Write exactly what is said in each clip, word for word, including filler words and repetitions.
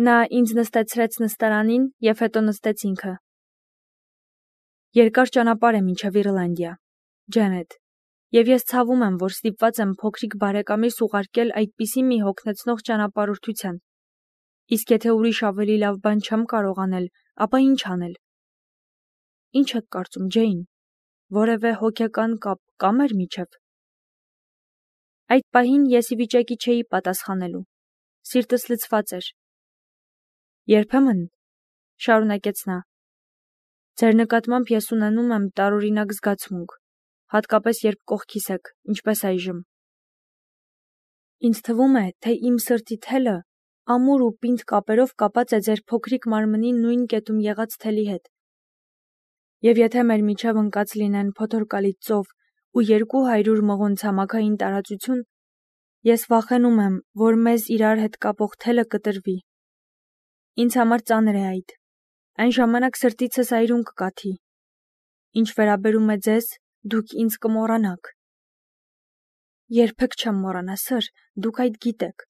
Նա ինձ նստեցրեց նստարանին և հետո նստեց ինքը։ Երկար ճանապարհ է մինչև Իռլանդիա, Ջենետ, և ես ցավում եմ, որ ստիպված եմ փոքրիկ բարեկամիս ուղարկել այդպիսի մի հոգնեցնող ճանապարհորդության։ Իսկ եթե ուրիշ ավելի լավ բան չեմ կարող անել, ապա ինչ անել։ Ինչ եք կարծում, Ջեյն, որևէ հոգեկան կապ կա մեր միջև։ Այդ պահին ես ի վիճակի չէի պատասխանելու։ Սիրտս լցված էր։ Երբեմն, շարունակեց նա, ձեր նկատմամբ ես ունենում եմ տարօրինակ զգացմունք, հատկապես երբ կողքիս եք, ինչպես այժմ։ Ինձ թվում է, թե իմ սրտի թելը ամուր ու պինդ կապերով կապած է ձեր փոքրիկ մարմնի նույն կետում եղած թելի հետ։ Եվ եթե մեր միջև ընկած լինեն փոթորկալի ծով ու երկու հարյուր մղոն ցամաքային տարածություն, ես վախենում եմ, որ մեզ իրար հետ կապող թելը կտրվի։ Ինձ համար ծանր է այդ։ Այն ժամանակ սրտիցս այրուն կկաթի։ Ինչ վերաբերում է ձեզ, դուք ինձ կմոռանաք։ Երբեք չեմ մոռանա, սըր, դուք այդ գիտեք։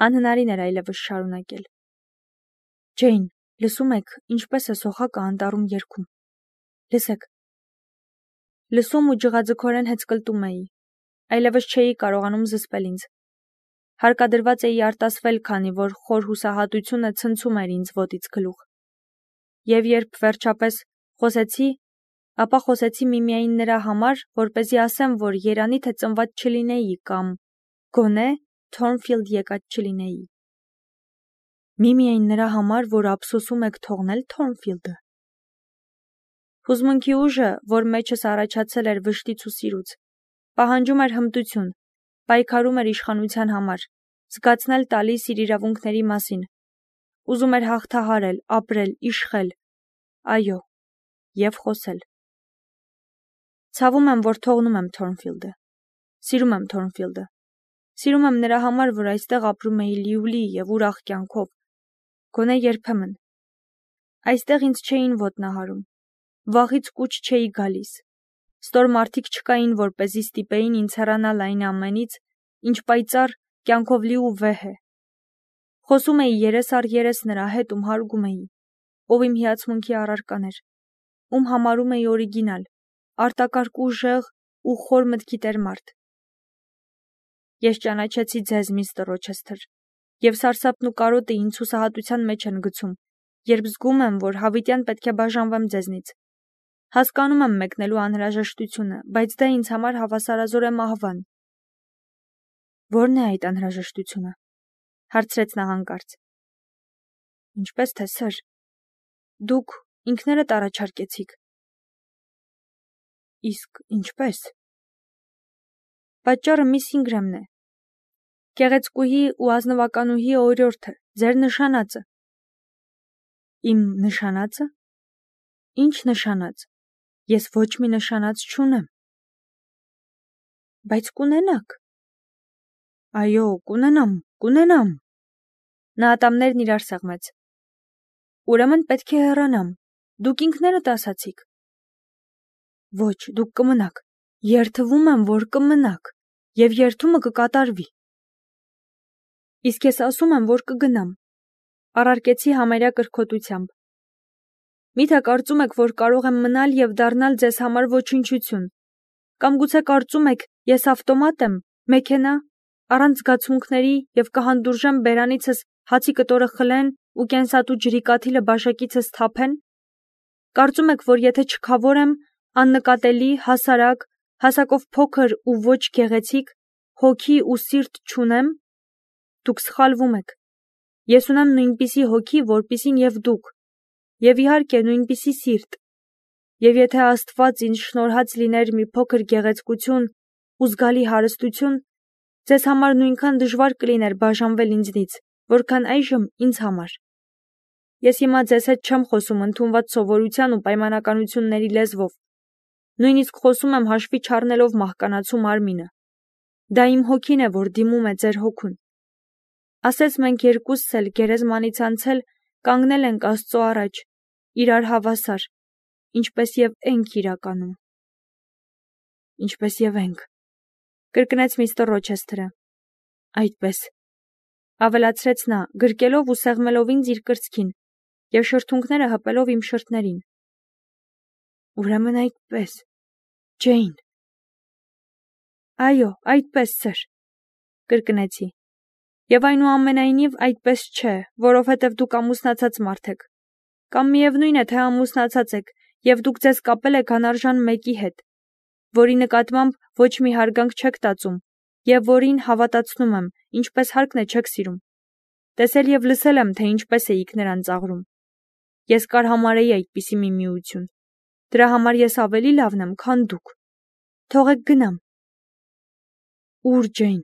Անհնարին էր այլևս շարունակել։ Ջեյն, լսում եք, ինչպես է սոխակը անտառում երգում։ Լսեք։ Լսում ու ջղաձգորեն հեծկլտում էի։ Այլևս չէի կարողանում զսպել ինձ։ Հարկադրված էի արտասվել, քանի որ խոր հուսահատությունը ցնցում էր ինձ ոտից գլուխ։ Եվ երբ վերջապես խոսեցի, ապա խոսեցի միմիայն նրա համար, որպեսզի ասեմ, որ երանի թե ծնված չլինեի կամ գոնե Թորնֆիլդ եկած չլինեի։ Միմիայն նրա համար, որ ափսոսում եք թողնել Թորնֆիլդը։ Հուզմունքի ուժը, որ մեջս առաջացել էր վշտից ու սիրուց, պահանջում էր հմտություն, պայքարում էր իշխանության համար, զգացնել տալիս իր իրավունքների մասին, ուզում էր հաղթահարել, ապրել, իշխել, այո, և խոսել։ Ցավում եմ, որ թողնում եմ Թորնֆիլդը։ Սիրում եմ Թորնֆիլդը։ Սիրում եմ նրա համար, որ այստեղ ապրում էի լիուլի և ուրախ կյանքով, գոնե երբեմն։ Այստեղ ինձ չէին ոտնահարում, վաղից կուչ չէի գալիս, ստոր մարդիկ չկային, որպեսզի ստիպեին ինձ հեռանալ այն ամենից, ինչ պայծառ կյանքով լի ու վեհ է։ Խոսում էի երես առ երես նրա հետ, ում հարգում էի, ով իմ հիացմունքի առարական էր, ում համարում էի օրիգինալ, արտակարգ ուժեղ ու խոր մտքի տեր մարդ։ Ես ճանաչեցի ձեզ, միստր Ռոչեսթեր, և սարսափն ու կարոտը ինձ հուսահատության մեջ են գցում, երբ զգում եմ, որ հավիտյան պետք է բաժանվեմ ձեզնից։ Հասկանում եմ մեկնելու անհրաժեշտությունը, բայց դա ինձ համար հավասարազոր է մահվան։ Ո՞րն է այդ անհրաժեշտությունը, հարցրեց նա հանկարծ։ Ինչպես թե, սըր, դուք ինքներդ առաջարկեցիք։ Իսկ ինչպես։ Պատճառը միս Ինգրամն է։ Գեղեցկուհի ու ազնվականուհի օրիորդը, ձեր նշանածը։ Իմ նշանածը։ Ինչ նշանած։ Ես ոչ մի նշանած չունեմ։ Բայց կունենաք։ Այո, կունենամ, կունենամ։ Նա ատամներն իրար սեղմեց։ Ուրեմն պետք է հեռանամ։ Դուք ինքներդ ասացիք։ Ոչ, դուք կմնաք։ Երդվում եմ, որ կմնաք, և երդումը կկատարվի։ Իսկ ես ասում եմ, որ կգնամ։ Առարկեցի համարյա կրքոտությամբ։ Միթե կարծում եք, որ կարող եմ մնալ և դառնալ ձեզ համար ոչնչություն։ Կամ գուցե կարծում եք, ես ավտոմատ եմ, մեքենա, առանց զգացմունքների և կհանդուրժեմ բերանիցս հացի կտորը խլեն ու կենսատու ջրի կաթիլը բաշակիցս թափեն։ Կարծում եք, որ եթե չքավոր եմ, աննկատելի, հասարակ, հասակով փոքր ու ոչ գեղեցիկ, հոգի ու սիրտ չունեմ։ Դուք սխալվում եք։ Ես ունեմ նույնպիսի հոգի, որպիսին և դուք, և իհարկե նույնպիսի սիրտ։ Եվ եթե Աստված ինձ շնորհած լիներ մի փոքր գեղեցկություն ու զգալի հարստություն, ձեզ համար նույնքան դժվար կլիներ բաժանվել ինձնից, որքան այժմ ինձ համար։ Ես հիմա ձեզ հետ չեմ խոսում ընդունված սովորության ու պայմանականությունների լեզվով, նույնիսկ խոսում եմ հաշվի չառնելով մահկանացու մարմինը։ Դա իմ հոգին է, որ դիմում է ձեր հոգուն։ Ասես մենք երկուսս էլ գերեզմանից անցել կանգնել ենք Աստծո առաջ, իրար հավասար, ինչպես և ենք իրականում։ Ինչպես և ենք, կրկնեց միստր Ռոչեսթերը։ Այդպես։ ավելացրեց նա, գրկելով ու սեղմելով ինձ իր կրծքին և շրթունքները հպելով իմ շրթներին։ Ուրեմն այդպես, Ջեյն։ Այո, այդպես, սեր, կրկնեցի։ Եվ այնուամենայնիվ այդպես չէ, որովհետև դուք ամուսնացած մարդ եք։ Կամ միևնույն է, թե ամուսնացած եք, և դուք ձեզ կապել եք անարժան մեկի հետ, որի նկատմամբ ոչ մի հարգանք չեք տածում, և որին հավատացնում եմ, ինչպես հարկն է չեք սիրում։ Տեսել և լսել եմ, թե ինչպես էիք նրան ծաղրում։ Ես կարհամարեի այդպիսի մի միություն։ Դրա համար ես ավելի լավն եմ, քան դուք։ Թողեք գնամ։ Ուր, Ջեյն,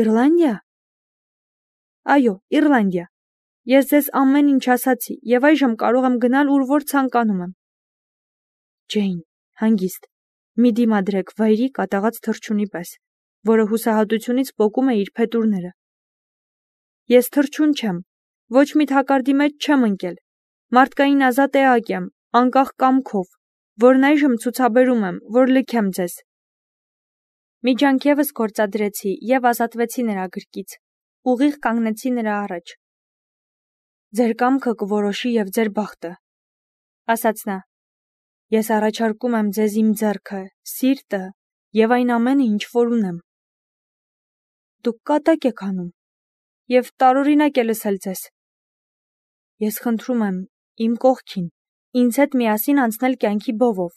Իռլանդիա։ Այո, Իռլանդիա։ Ես ձեզ ամեն ինչ ասացի, և այժմ կարող եմ գնալ ուր որ ցանկանում եմ։ Ջեյն, հանգիստ, մի դիմադրեք վայրի կատաղած թռչունի պես, որը հուսահատությունից պոկում է իր փետուրները։ Ես թռչուն չեմ, ոչ մի թակարդի մեջ չեմ ընկել։ Մարդկային ազատ էակ եմ, անկախ կամքով, որն այժմ ցուցաբերում եմ, որ լքեմ ձեզ։ Մի ջանք ևս գործադրեցի և ազատվեցի նրա գրկից, ուղիղ կանգնեցի նրա առաջ։ Ձեր կամքը կորոշի և ձեր բախտը, ասաց նա։ Ես առաջարկում եմ ձեզ իմ ձեռքը, սիրտը և այն ամենը, ինչ որ ունեմ։ Դուք կատակ եք անում և տարօրինակ է լսել ձեզ։ Ես խնդրում եմ իմ կողքին, ինձ հետ միասին անցնել կյանքի բովով,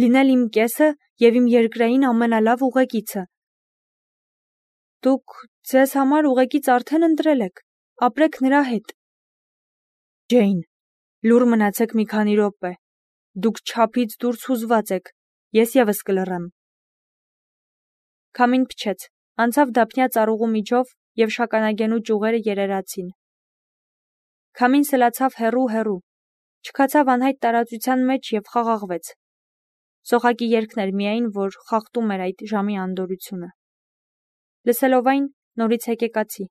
լինել իմ կեսը և իմ երկրային ամենալավ ուղեկիցը։ Դուք ձեզ համար ուղեկից արդեն ընտրել եք, ապրեք նրա հետ։ Ջեյն, լուռ մնացեք մի քանի րոպե։ Դուք չափից դուրս հուզված եք, ես ևս կլռեմ։ Քամին փչեց, անցավ դափնյա ծառուղու միջով և շագանակենու ճյուղերը երերացին։ Քամին սլացավ հեռու-հեռու, չքացավ անհայտ տարածության մեջ և խաղաղվեց։ Սոխակի երգն էր միայն, որ խախտում էր այդ ժամի անդորրությունը։ Լսելով այն, նորից հեկեկացի։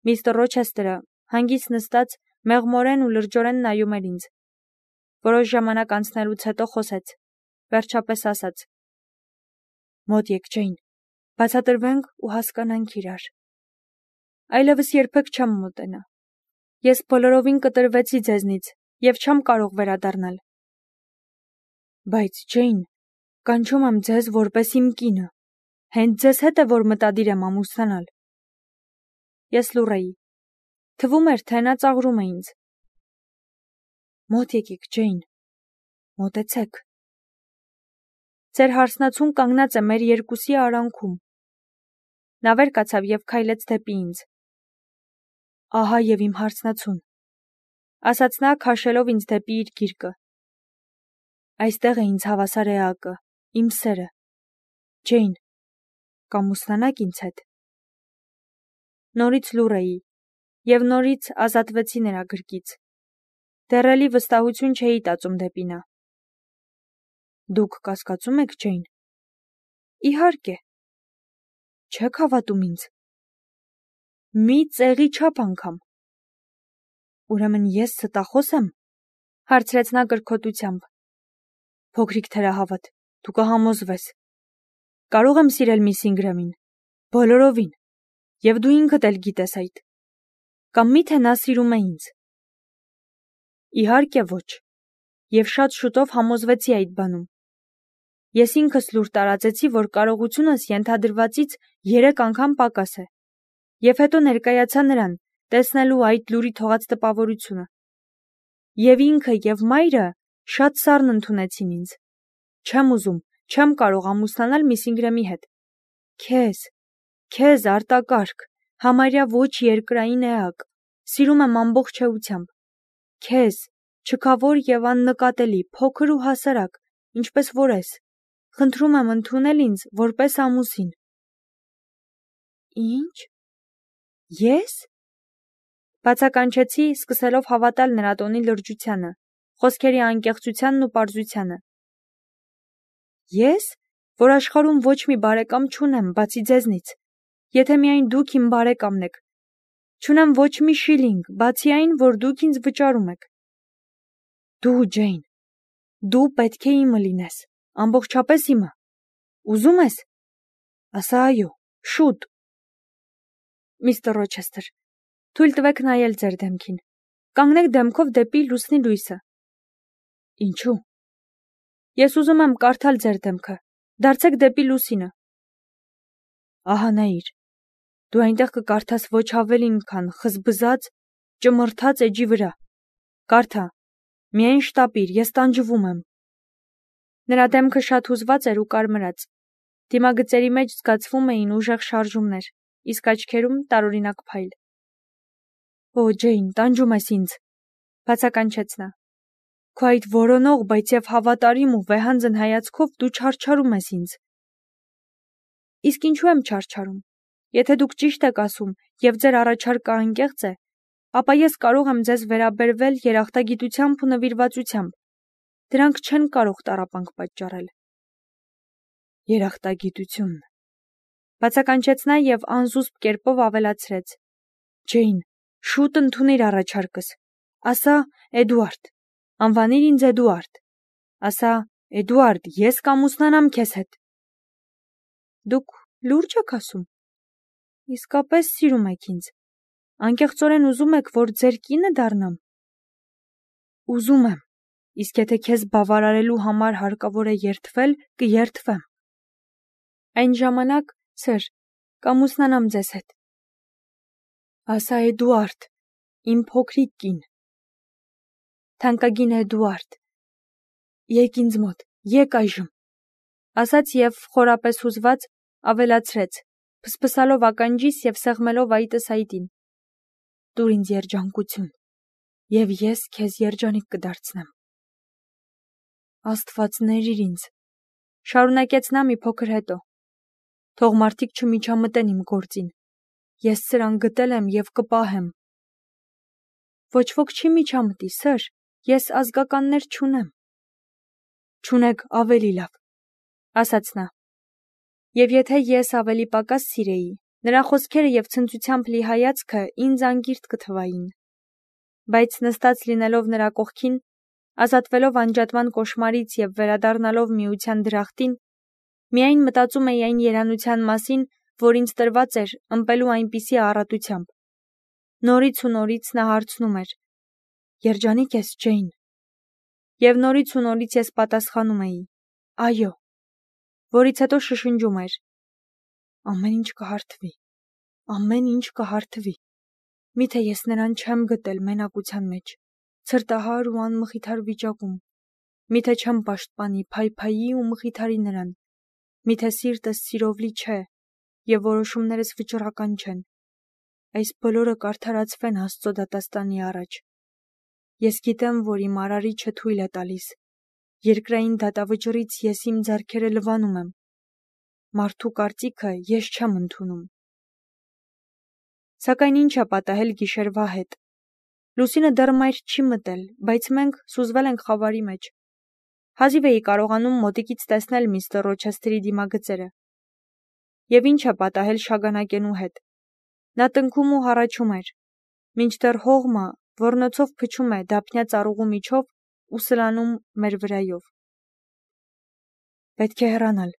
Միստր Ռոչեսթերը հանգիստ նստած մեղմորեն ու լրջորեն նայում էր ինձ։ Որոշ ժամանակ անցնելուց հետո խոսեց, վերջապես ասաց. Մոտ եք, Ջեյն, բացատրվենք ու հասկանանք իրար։ Այլևս երբեք չեմ մոտենա։ Ես բոլորովին կտրվեցի ձեզնից և չեմ կարող վերադառնալ։ Բայց, Ջեյն, կանչում եմ ձեզ որպես իմ կինը։ Հենց ձեզ հետ է, որ մտադիր եմ ամուսնանալ։ Ես լուռ էի։ Թվում էր, թե նա ծաղրում է ինձ։ Մոտ եկեք, Ջեյն, մոտեցեք։ Ձեր հարսնացուն կանգնած է մեր երկուսի արանքում։ Նա վեր կացավ և քայլեց դեպի ինձ։ Ահա և իմ հարսնացուն, ասաց նա, քաշելով ինձ դեպի իր գիրկը։ Այստեղ է ինձ հավասար էակը, իմ սերը։ Ջեյն, կամուսնանաք ինձ հետ։ Նորից լուռ էի և նորից ազատվեցի նրա գրկից։ Դեռ էլի վստահություն չէի տածում դեպի նա։ Դուք կասկածում եք, Ջեյն։ Իհարկե։ Չեք հավատում ինձ։ Մի ծեղի չափ անգամ։ Ուրեմն ես ստախոս եմ, հարցրեց նա կրկոտությամբ։ Փոքրիկ թերահավատ, դու կհամոզվես։ Կարող եմ սիրել միս Ինգրամին, բոլորովին, և դու ինքդ էլ գիտես այդ։ Կամ միթե նա սիրում է ինձ։ Իհարկե ոչ, և շատ շուտով համոզվեցի այդ բանում։ Ես ինքս լուր տարածեցի, որ կարողությունս ենթադրվածից երեք անգամ պակաս է, և հետո ներկայացա նրան, տեսնելու այդ լուրի թողած տպավորությունը։ Եվ ինքը և մայրը շատ սառն ընդունեցին ինձ։ Չեմ ուզում, չեմ կարող ամուսնանալ միս Ինգրամի հետ։ Քեզ, քեզ արտակարգ, համարյա ոչ երկրային էակ, սիրում եմ ամբողջ էությամբ։ Քեզ, չքավոր և աննկատելի, փոքր ու հասարակ, ինչպես որ ես, խնդրում եմ ընդունել ինձ որպես ամուսին։ Ինչ։ Ես։ Բացականչեցի, սկսելով հավատալ նրա տոնի լրջությանը, խոսքերի անկեղծությանն ու պարզությանը։ Ես, որ աշխարհում ոչ մի բարեկամ չունեմ, բացի ձեզնից, եթե միայն դուք իմ բարեկամն եք, չունեմ ոչ մի շիլինգ, բացի այն, որ դուք ինձ վճարում եք։ Դու, Ջեյն, դու պետք է իմը լինես, ամբողջապես իմը։ Ուզում ես։ Ասա այո, շուտ։ Միստր Ռոչեսթեր, Թույլ տվեք նայել ձեր դեմքին։ Կանգնեք դեմքով դեպի լուսնի լույսը։ Ինչու՞։ Ես ուզում եմ կարդալ ձեր դեմքը։ Դարձեք դեպի լուսինը։ Ահա նայիր։ Դու այնտեղ կկարդաս ոչ ավելին, քան խզբզած, ճմրթած էջի վրա։ Կարդա։ Միայն շտապիր, ես տանջվում եմ։ Նրա դեմքը շատ հուզված էր ու կարմրած։ Դիմագծերի մեջ զգացվում էին ուժեղ շարժումներ, իսկ աչքերում տարօրինակ փայլ։ Օ, Ջեյն, տանջում ես ինձ, բացականչեց նա։ Քո այդ որոնող, բայց եւ հավատարիմ ու վեհանձն հայացքով դու չարչարում ես ինձ։ Իսկ ինչու եմ չարչարում։ Եթե դուք ճիշտ եք ասում եւ ձեր առաջարկը անկեղծ է, ապա ես կարող եմ ձեզ վերաբերվել երախտագիտությամբ ու նվիրվածությամբ։ Դրանք չեն կարող տառապանք պատճառել։ Երախտագիտություն։ Բացականչեց նա եւ անզուսպ կերպով ավելացրեց. Ջեյն, շուտ ընդունիր առաջարկս։ Ասա, Էդուարդ, անվանիր ինձ Էդուարդ։ Ասա, Էդուարդ, ես կամուսնանամ քեզ հետ։ Դուք լուրջ եք ասում։ Իսկապես սիրում եք ինձ։ Անկեղծորեն ուզում եք, որ ձեր կինը դառնամ։ Ուզում եմ, իսկ եթե քեզ բավարարելու համար հարկավոր է երդվել, կերդվեմ։ Այն ժամանակ, սեր, կամուսնանամ ձեզ հետ։ Ասա, Էդուարդ, իմ փոքրիկ կին։ Թանկագին Էդուարդ, եկ ինձ մոտ, եկ այժմ, ասաց եւ խորապես հուզված ավելացրեց, փսփսալով ականջիս եւ սեղմելով այտս այտին։ Տուր ինձ երջանկություն, եւ ես քեզ երջանիկ կդարձնեմ։ Աստված ներիր ինձ, շարունակեց նա մի փոքր հետո։ Թող մարդիկ չմիջամտեն իմ գործին։ Ես սրան գտել եմ եւ կպահեմ։ Ոչ ոք չի միջամտի, սր, ես ազգականներ չունեմ։ Չունեք ավելի լավ, ասաց նա։ Եվ եթե ես ավելի պակաս սիրեի, նրա խոսքերը եւ ցնծությամբ լի հայացքը ինձ անգիրտ կթվային։ Բայց նստած լինելով նրա կողքին, ազատվելով անջատման կոշմարից եւ վերադառնալով միության դրախտին, միայն մտածում էի այն երանության մասին, որ ինձ տրված էր ըմպելու այնպիսի առատությամբ։ Նորից ու նորից նա հարցնում էր. Երջանիկ ես, Ջեյն։ Եվ նորից ու նորից ես պատասխանում էի. Այո, որից հետո շշնջում էր. Ամեն ինչ կհարթվի, ամեն ինչ կհարթվի։ Միթե ես նրան չեմ գտել մենակության մեջ, ցրտահար ու անմխիթար վիճակում։ Միթե չեմ պաշտպանի, փայփայի ու մխիթարի նրան։ Միթե սիրտս սիրով լի չէ, եւ որոշումներս վճռական չեն։ Այս բոլորը կարդարացվեն Աստծո դատաստանի առաջ։ Ես գիտեմ, որ իմ արարիչը թույլ է տալիս։ Երկրային դատավճռից ես իմ ձեռքերը լվանում եմ։ Մարդու կարծիքը ես չեմ ընդունում։ Սակայն ինչ է պատահել գիշերվա հետ։ Լուսինը դեռ մայր չի մտել, բայց մենք սուզվել ենք խավարի մեջ։ Հազիվ էի կարողանում մոտիկից տեսնել միստր Ռոչեսթերի դիմագծերը։ Եվ ինչ է պատահել շագանակենու հետ։ Նա տնքում ու հառաչում էր, մինչդեռ հողմը ոռնոցով փչում է դափնյա ծառուղու միջով ու սլանում մեր վրայով։ Պետք է հեռանալ,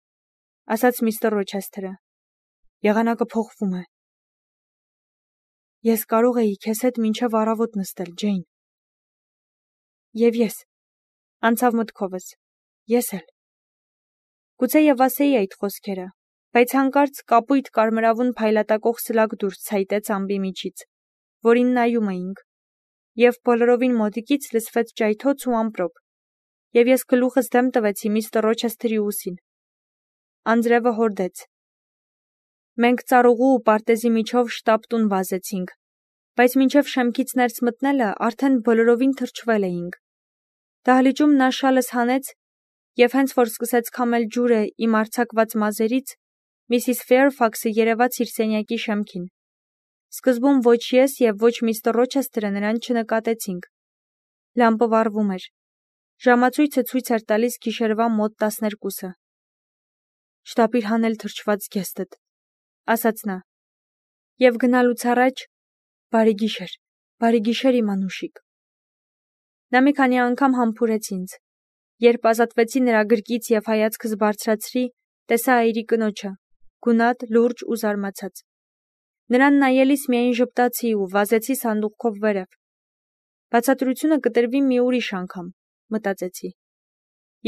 ասաց միստր Ռոչեսթերը։ Եղանակը փոխվում է։ Ես կարող էի քեզ հետ մինչև առավոտ նստել, Ջեյն։ Եվ ես, անցավ մտքովս, ես էլ։ Գուցե եւ ասեի այդ խոսքերը, բայց հանկարծ կապույտ կարմրավուն փայլատակող սլակ դուրս ցայտեց ամբի միջից, որին նայում էինք, եւ բոլորովին մոտիկից լսվեց ճայթոց ու ամպրոպ, եւ ես գլուխս դեմ տվեցի միստր Ռոչեսթերի ուսին։ Անձրևը հորդեց։ Մենք ծառուղու ու պարտեզի միջով շտապ տուն վազեցինք, բայց մինչև շեմքից ներս մտնելը արդեն բոլորովին թրջվել էինք։ Դահլիճում նա շալս հանեց եւ հենց որ սկսեց քամել ջուրը իմ արձակված մազերից, Միսիս Ֆեյրֆաքսը երևաց իր սենյակի շեմքին։ Սկզբում ոչ ես եւ ոչ միստր Ռոչեսթերը նրան չնկատեցինք։ Լամպը վառվում էր։ Ժամացույցը ցույց էր տալիս գիշերվա մոտ տասներկուսը։ Շտապիր հանել թրջված գեստդ, ասաց նա։ Եվ գնալուց առաջ բարի գիշեր, բարի գիշեր իմ անուշիկ։ Նա մի քանի անգամ համբուրեց ինձ։ Երբ ազատվեցի նրա գրկից եւ հայացքս բարձրացրի, տեսա այրի կնոջը, գունատ, լուրջ ու զարմացած։ Նրան նայելիս միայն ժպտացի ու վազեցի սանդուղքով վերև։ Բացատրությունը կտրվի մի ուրիշ անգամ, մտածեցի։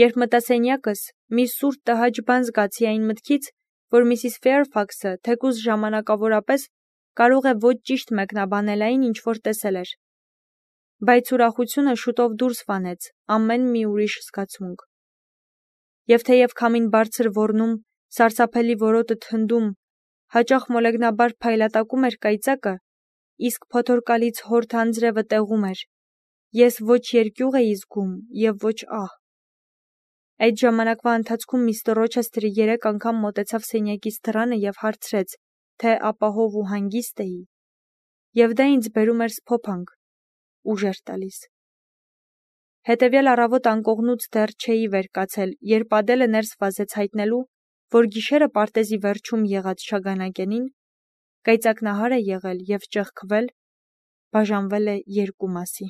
Երբ մտա սենյակս, մի սուր տհաճ բան զգացի այն մտքից, որ Միսիս Ֆեյրֆաքսը, թեկուզ ժամանակավորապես, կարող է ոչ ճիշտ մեկնաբանել այն, ինչ որ տեսել էր։ Բայց ուրախությունը շուտով դուրս վանեց ամեն մի ուրիշ զգացմունք։ Եվ թեև քամին բարձր ոռնում, սարսափելի որոտը թնդում, հաճախ մոլեգնաբար փայլատակում էր կայծակը, իսկ փոթորկալից հորդ անձրևը տեղում էր, ես ոչ երկյուղ էի զգում և ոչ ահ։ Այդ ժամանակվա ընթացքում միստր Ռոչեսթերը երեք անգամ մոտեցավ սենյակիս դռանը և հարցրեց, թե ապահով ու հանգիստ էի, և դա ինձ բերում էր սփոփանք, ուժ էր տալիս։ Հետևյալ առավոտ անկողնուց դեռ չէի վեր կացել, երբ Ադելը ներս վազեց հայտնելու, որ գիշերը պարտեզի վերջում եղած շագանակենին կայծակնահար է եղել և ճեղքվել, բաժանվել է երկու մասի։